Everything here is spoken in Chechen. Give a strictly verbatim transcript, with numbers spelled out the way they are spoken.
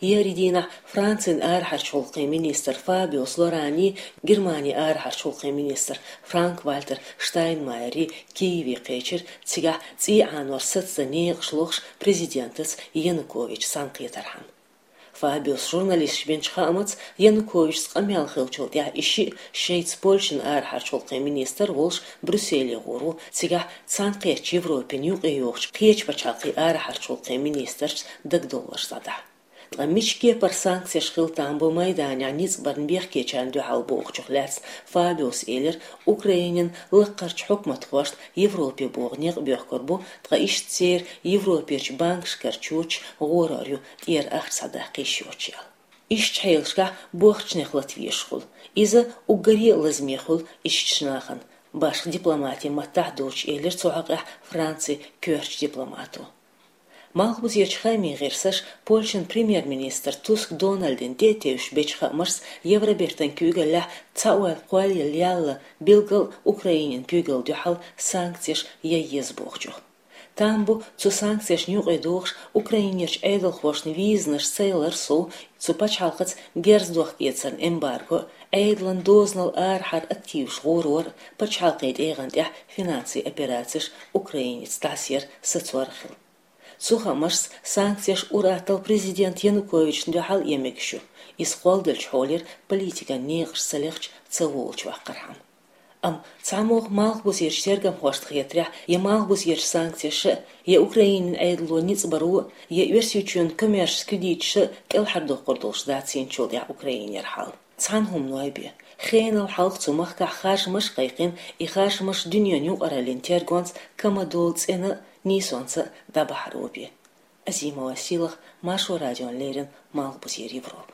Еарий дийнахь Францин арахьарчу гӀуллакхийн министр Фабиус Лорани, Германин арахьарчу гӀуллакхийн министр Франк-Вальтер Штайнмайери Киеве кхечира, цигахь цӀий Ӏанор сацдан некъаш лохуш президентаца Янукович цхьаьнакхетархьама. Фабиус журналисташка бинчу хаамца, Януковичца къамел хиллачул тӀаьхьа и шиъ шайца Польшин арахьарчу гӀуллакхийн министр волуш Брюсселе гӀур ву, цигахь цхьаьнакхеттачу Европин юкъайогӀучу кхечу пачхьалкхийн арахьарчу гӀуллакхийн министршца дагадовларш дӀадахьа. Ткъа мича кепара санкцеш хила там бу майданехь ницкъ барна бехкечарна дуьхьал бохучух лаьцна Фабиус элира, Украинин лакхарчу хьукматхошна Европе богӀу некъ боьхкур бу, ткъа иштта церан Европерчу банкашкара чоьхьарчу гӀорор ю тӀера ахча схьадаккха йиш йоцуш яла. Иштта хьелашкахь бохчанех лата везаш хуьлу. Иза уггаре а лазаме хуьлу иштачу нахана, башха дипломатийн маттахь доцуш элира цу хьокъехь Францин коьртачу дипломато. Малхбузерчу хаамийн гӀирсаша Польшин премьер-министр Туск Дональдна тӀе а тевжаш бечу хаамашца, Евробертан куьйгаллехь цхьа ойла кхоллаялла билггал а Украинин куьйгалла дуьхьал санкцеш ян еза бохучух. Там бу цу санкцешна юкъадохуш Украинерчу Ӏедалхошна визанаш ца ялар сов, цу пачхьалкхаца герз дохка эцарна эмбарго а, Ӏедалан дозанал арахьара активаш гӀорор а, пачхьалкхийн тӀегӀан тӀехь финансийн операцеш Украиница дӀасаяр сацор а хила. Цу хаамашца санкцеш ур-атталла президент Януковична дуьхьал а ян мегаш ю, иза кхолладелчу хьолера политикан некъаш ца лехча ца волучу ваккхархьама. Амма цхьамогӀа малхбузерчу тергамхошна хетарехь, я малхбузерчу санкцеша а, я Украинин Ӏедало ницкъ баро а, я Оьрсийчоьнан коммерчески куьйгаш а кӀелхьардоккхур долуш дац хӀинцачул тӀаьхьа Украинера хьал. Цхьана хӀуманойн бен, хенал хьалха цу махкахь харжамаш а кхайкхина, и харжамаш дуьненан юкъараллин тергонца камадолу цӀена а, нийсонца а дӀабахьаро бен. Азимова Сийлаха, Маршо радиона леррина, Малхбузера Европа.